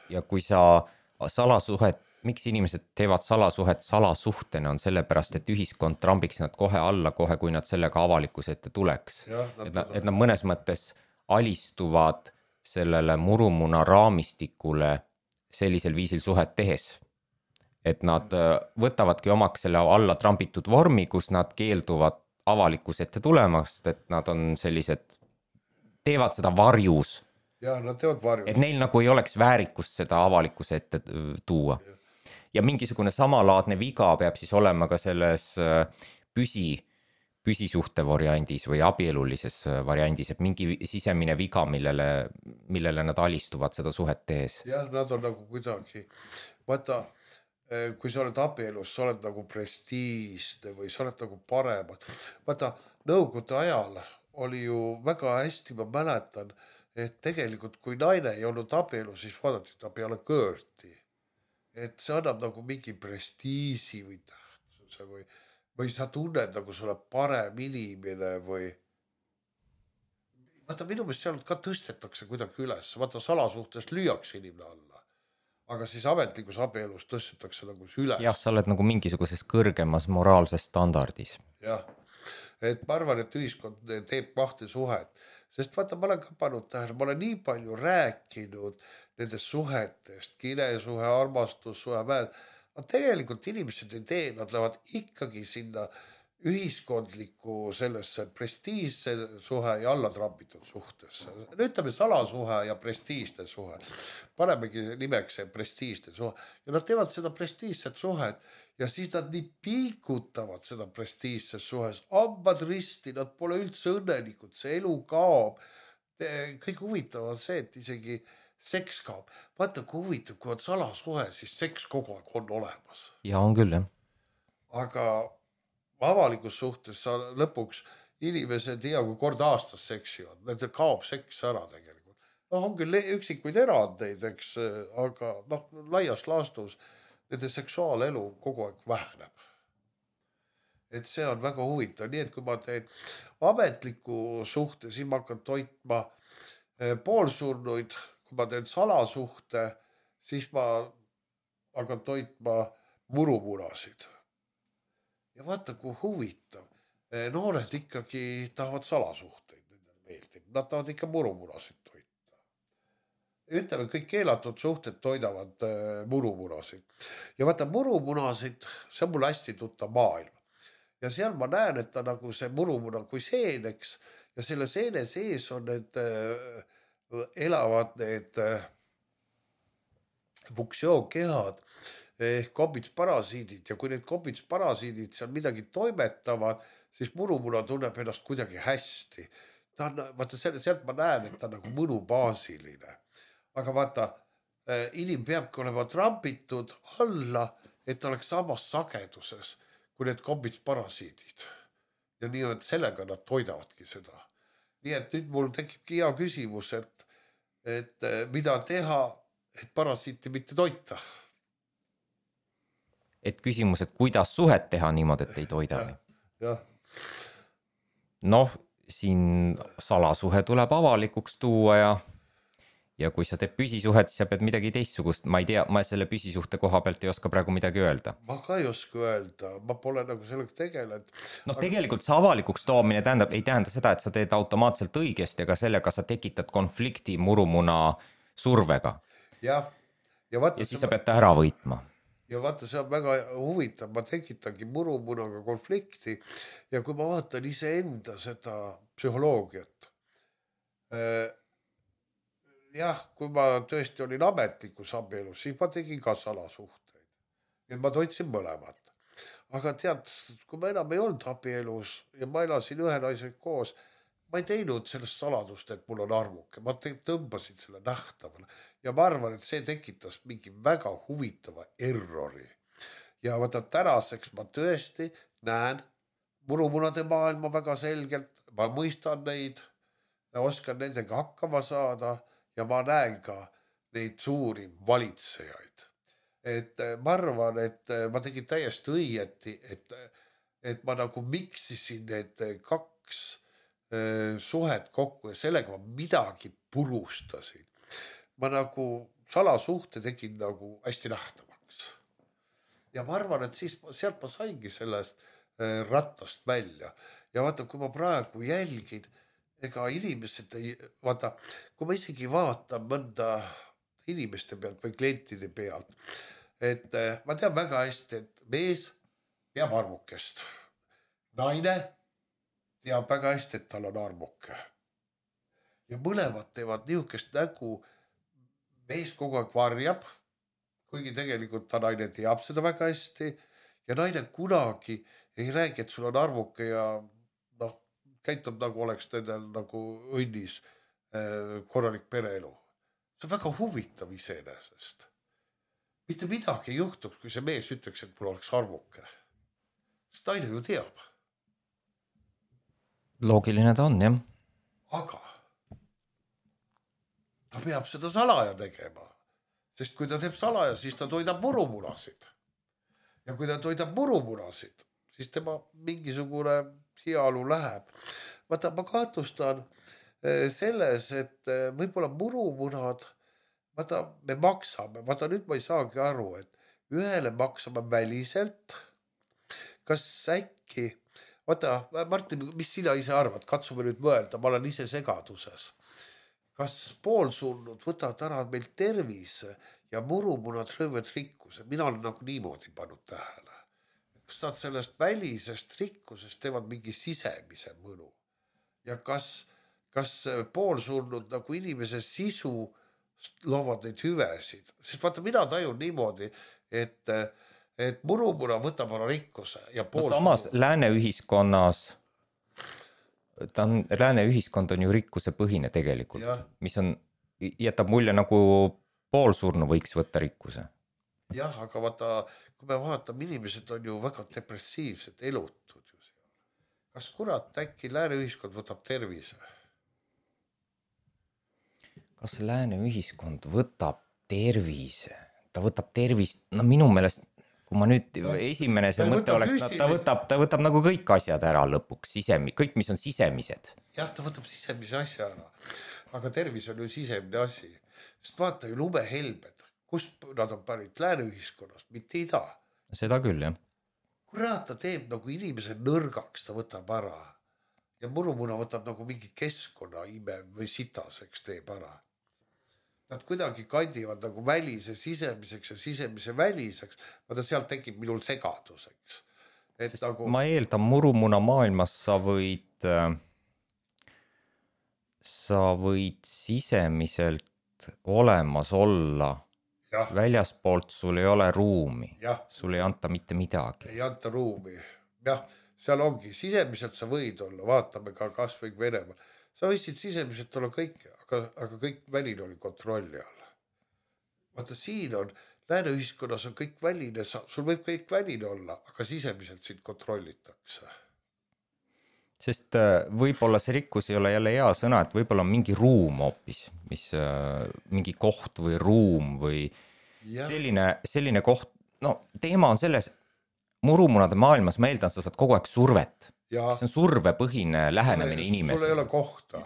Ja kui sa salasuhet, miks inimesed teevad salasuhet salasuhtena, on sellepärast, et ühiskond trambiks nad kohe alla, kohe kui nad sellega avalikkuse ette tuleks. Ja, et, nad, et nad mõnes mõttes alistuvad sellele murumuna raamistikule sellisel viisil suhet tehes. Et nad võtavadki omaks selle alla trambitud vormi, kus nad keelduvad avalikkuse ette tulemast, et nad on sellised, teevad seda varjus. Ja, nad teevad varjus. Et neil nagu ei oleks väärikust seda avalikkuse ette tuua. Ja. Ja mingisugune samalaadne viga peab siis olema ka selles püsi, püsisuhte variandis või abielulises variandis, et mingi sisemine viga, millele, millele nad alistuvad seda suhet tehes. Jah, nad on nagu kuidagi, vaata, kui sa oled abielus, sa oled nagu prestiisne või sa oled nagu paremad. Vaata, nõukogude ajal oli ju väga hästi, ma mäletan, et tegelikult kui naine ei olnud abielu, siis vaadati ta peale kõõrti. Et see annab nagu mingi prestiisi või tähtsuse või, või sa tunned nagu sa oled parem inimene või vaata minu meelest seal ka tõstetakse kuidagi üles, vaata salasuhtest lüüakse inimene alla, aga siis ametlikus abielus tõstetakse nagu üles. Jah, sa oled nagu mingisuguses kõrgemas moraalses standardis. Jah, et ma arvan, et ühiskond teeb kahte suhet, sest vaata ma olen ka pannud tähele, ma olen nii palju rääkinud nendest suhetest, kiresuhe, armastussuhe, väed. Aga tegelikult inimesed ei tee, nad lähevad ikkagi sinna ühiskondliku sellesse prestiižse suhe ja allatrambitud suhtesse. Ütleme salasuhe ja prestiižne suhe. Panemegi nimeks see prestiižne suhe. Ja nad teevad seda prestiižset suhet ja siis nad nii piikutavad seda prestiižses suhes. Ambad risti, nad pole üldse õnnelikud, see elu kaob. Kõik huvitav on see, et isegi seks kaob. Vaata, kui huvitav, kui on salasuhe, siis seks kogu aeg on olemas. Ja on küll, jah. Aga avalikus suhtes sa lõpuks inimesed hea kui kord aastas seksivad. Need kaob seks ära tegelikult. No on küll üksikuid erandeid, eks, aga noh, laias laastus nende seksuaalelu kogu aeg väheneb. Et see on väga huvitav. Nii et kui ma teen ametliku suhte, siis ma hakkan toitma poolsurnuid. Kui ma teen salasuhte, siis ma hakkan toitma murumunasid. Ja vaata, kui huvitav. Noored ikkagi tahavad salasuhteid. Nad tahavad ikka murumunasid toita. Ütleme, kõik keelatud suhted toidavad murumunasid. Ja vaata, murumunasid, see on mul hästi tuttav maailm. Ja seal ma näen, et ta nagu see murumuna kui seeneks ja selle seene sees on need elavad need funktsiookehad ehk kobitsparasiidid ja kui need kobitsparasiidid seal midagi toimetavad, siis murumuna tunneb ennast kuidagi hästi. Ta on, vaata, sealt ma näen, et ta on nagu mõnubaasiline. Aga vaata, inim peabki olema trampitud alla, et ta oleks samas sageduses kui need kobitsparasiidid. Ja nii, et sellega nad toidavadki seda. Nii et nüüd mul tekibki hea küsimus, et, et mida teha, et parasiiti mitte toita. Et küsimus, et kuidas suhet teha niimoodi, et ei toida? Ja. Noh, siin salasuhe tuleb avalikuks tuua ja ja kui sa teed püsisuhet, siis sa pead midagi teistsugust. Ma ei tea, ma selle püsisuhte koha pealt ei oska praegu midagi öelda. Ma ka ei oska öelda, ma pole nagu sellega tegelenud. No aga... tegelikult see avalikuks toomine tähendab, ei tähenda seda, et sa teed automaatselt õigesti, aga sellega sa tekitad konflikti murumuna survega. Ja, ja, vaata, ja siis sa pead ta ära võitma. Ja vaata, see on väga huvitav, ma tekitangi murumunaga konflikti ja kui ma vaatan ise enda seda psühholoogiat, jah, kui ma tõesti olin ametlikus abielus, siis ma tegin ka salasuhteid. Ja ma toitsin mõlemat. Aga tead, kui ma enam ei olnud abielus ja ma elasin ühe naisega koos, ma ei teinud sellest saladust, et mul on armuke. Ma tõmbasin selle nähtavale. Ja ma arvan, et see tekitas mingi väga huvitava errori. Ja vaata, tänaseks ma tõesti näen murumunade maailma väga selgelt. Ma mõistan neid, oskan nendega hakkama saada ja ma näen ka neid suuri valitsejaid. Et ma arvan, et ma tegin täiesti õieti, et, et ma nagu miksisin need kaks suhet kokku ja sellega ma midagi purustasin. Ma nagu salasuhte tegin nagu hästi nähtavaks. Ja ma arvan, et siis sealt ma saingi sellest rattast välja. Ja vaata, kui ma praegu jälgin, ega inimesed ei, vaata, kui ma isegi vaatan mõnda inimeste pealt või klientide pealt, et ma tean väga hästi, et mees peab armukest. Naine teab väga hästi, et tal on armuke. Ja mõlemad teevad niisugust nägu, mees kogu aeg varjab, kuigi tegelikult ta naine teab seda väga hästi ja naine kunagi ei räägi, et sul on armuke ja noh, käitub nagu oleks nendel nagu õnnis korralik pereelu. See on väga huvitav iseenesest. Mitte midagi ei juhtuks, kui see mees ütleks, et mul oleks armuke. Sest naine ju teab. Loogiline ta on, jah. Aga ta peab seda salaja tegema. Sest kui ta teeb salaja, siis ta toidab murumunasid. Ja kui ta toidab murumunasid, siis tema mingisugune heaolu läheb. Vaata, ma kahtlustan selles, et võib-olla murumunad, vaata, me maksame, vaata nüüd ma ei saagi aru, et ühele maksame väliselt, kas äkki, vaata, Martin, mis sina ise arvad, katsume nüüd mõelda, ma olen ise segaduses. Kas poolsurnud võtavad ära meil tervise ja murumunad röövad rikkuse? Mina olen nagu niimoodi pannud tähele. kas nad sellest välisest rikkusest teevad mingi sisemise mõnu ja kas, kas poolsurnud nagu inimese sisu loovad neid hüvesid, sest vaata, mina tajun niimoodi, et, et murumuna võtab ära rikkuse ja pool no samas lääne ühiskonnas ta on, lääne ühiskond on ju rikkuse põhine tegelikult, ja. Mis on, jätab mulje nagu poolsurnu võiks võtta rikkuse. Jah, aga vaata, kui me vaatame, inimesed on ju väga depressiivsed, elutud ju seal. Kas kurat äkki lääne ühiskond võtab tervise? Kas lääne ühiskond võtab tervise? Ta võtab tervist, no minu meelest, kui ma nüüd esimene see mõte oleks, no, ta, võtab, ta võtab nagu kõik asjad ära lõpuks, sisemi, kõik, mis on sisemised. Jah, ta võtab sisemise asja ära, aga tervis on ju sisemine asi. Sest vaata ju lumehelbed, kust nad on pärit lääne ühiskonnast, mitte ida. Seda küll, jah. Kurat, ta teeb nagu inimese nõrgaks, ta võtab ära. Ja murumuna võtab nagu mingi keskkonna ime või sitaseks teeb ära. Nad kuidagi kandivad nagu välise sisemiseks ja sisemise väliseks, vaata sealt tekib minul segaduseks. Et nagu... Ma eeldan, murumuna maailmas sa võid, sa võid sisemiselt olemas olla, ja. Väljaspoolt sul ei ole ruumi, ja. Sul ei anta mitte midagi. Ei anta ruumi, jah, seal ongi, sisemiselt sa võid olla, vaatame ka kas või Venemaal. Sa võisid sisemiselt olla kõik, aga, aga kõik väline oli kontrolli all. Vaata, siin on, lääne ühiskonnas on kõik väline, sul võib kõik väline olla, aga sisemiselt sind kontrollitakse. Sest võib-olla see rikkus ei ole jälle hea sõna, et võib-olla on mingi ruum hoopis, mis, mingi koht või ruum või ja. selline, selline koht, no teema on selles, murumunnade maailmas ma eeldan, sa saad kogu aeg survet. Ja. See on survepõhine lähenemine inimesele. Sul ei ole kohta.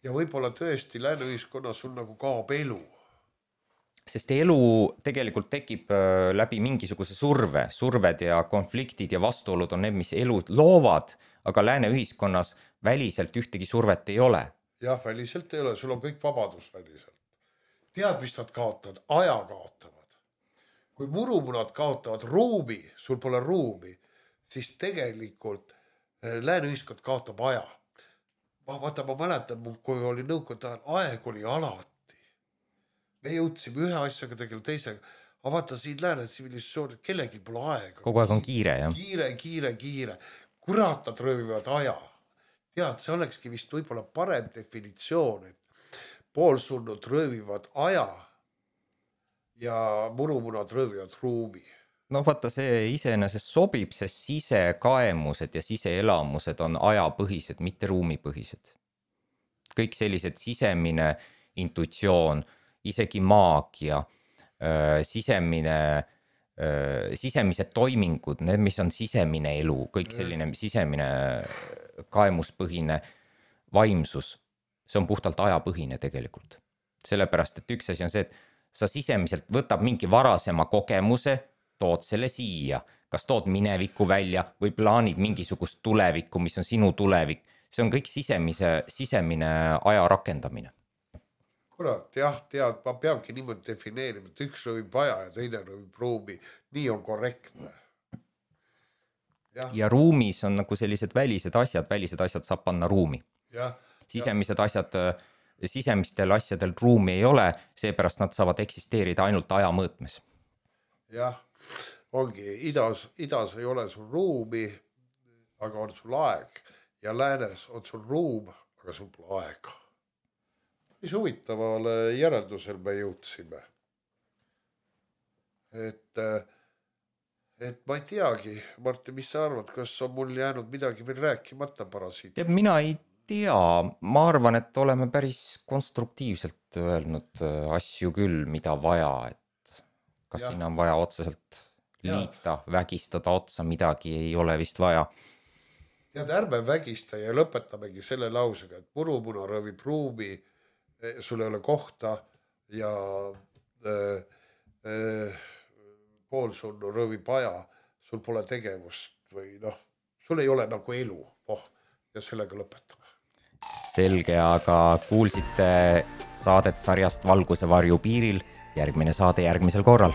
Ja võib-olla tõesti lääne ühiskonnas sul nagu kaob elu. Sest elu tegelikult tekib läbi mingisuguse surve. Surved ja konfliktid ja vastuolud on need, mis elud loovad, aga lääne ühiskonnas väliselt ühtegi survet ei ole. Jah, väliselt ei ole. Sul on kõik vabadus väliselt. Tead, mis nad kaotavad? Aja kaotavad. Kui murumunad kaotavad ruumi, sul pole ruumi, siis tegelikult lääne ühiskond kaotab aja. Ma, vaata, ma mäletan, kui oli nõukogude ajal, aeg oli alati. Me jõudsime ühe asjaga tegele teisega. Aga vaata, siin lääne tsivilisatsioon, kellegi pole aega. Kogu aeg on kiire, jah? Kiire, kiire, kiire. Kurat, nad röövivad aja. Tead, see olekski vist võib-olla parem definitsioon, et poolsurnud röövivad aja ja murumunad röövivad ruumi. No vaata, see iseenesest sobib, sest sisekaemused ja siseelamused on ajapõhised, mitte ruumipõhised. Kõik sellised sisemine intuitsioon, isegi maagia, sisemine, sisemised toimingud, need, mis on sisemine elu, kõik selline sisemine kaemuspõhine vaimsus, see on puhtalt ajapõhine tegelikult. Sellepärast, et üks asi on see, et sa sisemiselt võtab mingi varasema kogemuse, tood selle siia, kas tood minevikku välja või plaanid mingisugust tulevikku, mis on sinu tulevik. See on kõik sisemise, sisemine aja rakendamine. Kurat, jah, tead, ma peabki niimoodi defineerima, et üks rõvib aja ja teine rõvib ruumi. Nii on korrektne. Ja, ja ruumis on nagu sellised välised asjad, välised asjad saab panna ruumi. Ja, sisemised ja. asjad, sisemistel asjadel ruumi ei ole, seepärast nad saavad eksisteerida ainult aja mõõtmes. Jah, ongi, idas, idas ei ole sul ruumi, aga on sul aeg ja läänes on sul ruum, aga sul pole aega. Mis huvitavale järeldusel me jõudsime. Et, et ma ei teagi, Martin, mis sa arvad, kas on mul jäänud midagi veel rääkimata parasiit? Ja mina ei tea, ma arvan, et oleme päris konstruktiivselt öelnud asju küll, mida vaja, et kas ja. Siin on vaja otseselt liita, ja. Vägistada otsa, midagi ei ole vist vaja. Tead, ärme vägista ja lõpetamegi selle lausega, et murumuna rõvib ruumi, sul ei ole kohta ja äh, äh, poolsurnu rõvib aja, sul pole tegevust või noh, sul ei ole nagu elu, oh, ja sellega lõpetame. Selge, aga kuulsite saadet sarjast Valguse varju piiril. Järgmine saade järgmisel korral.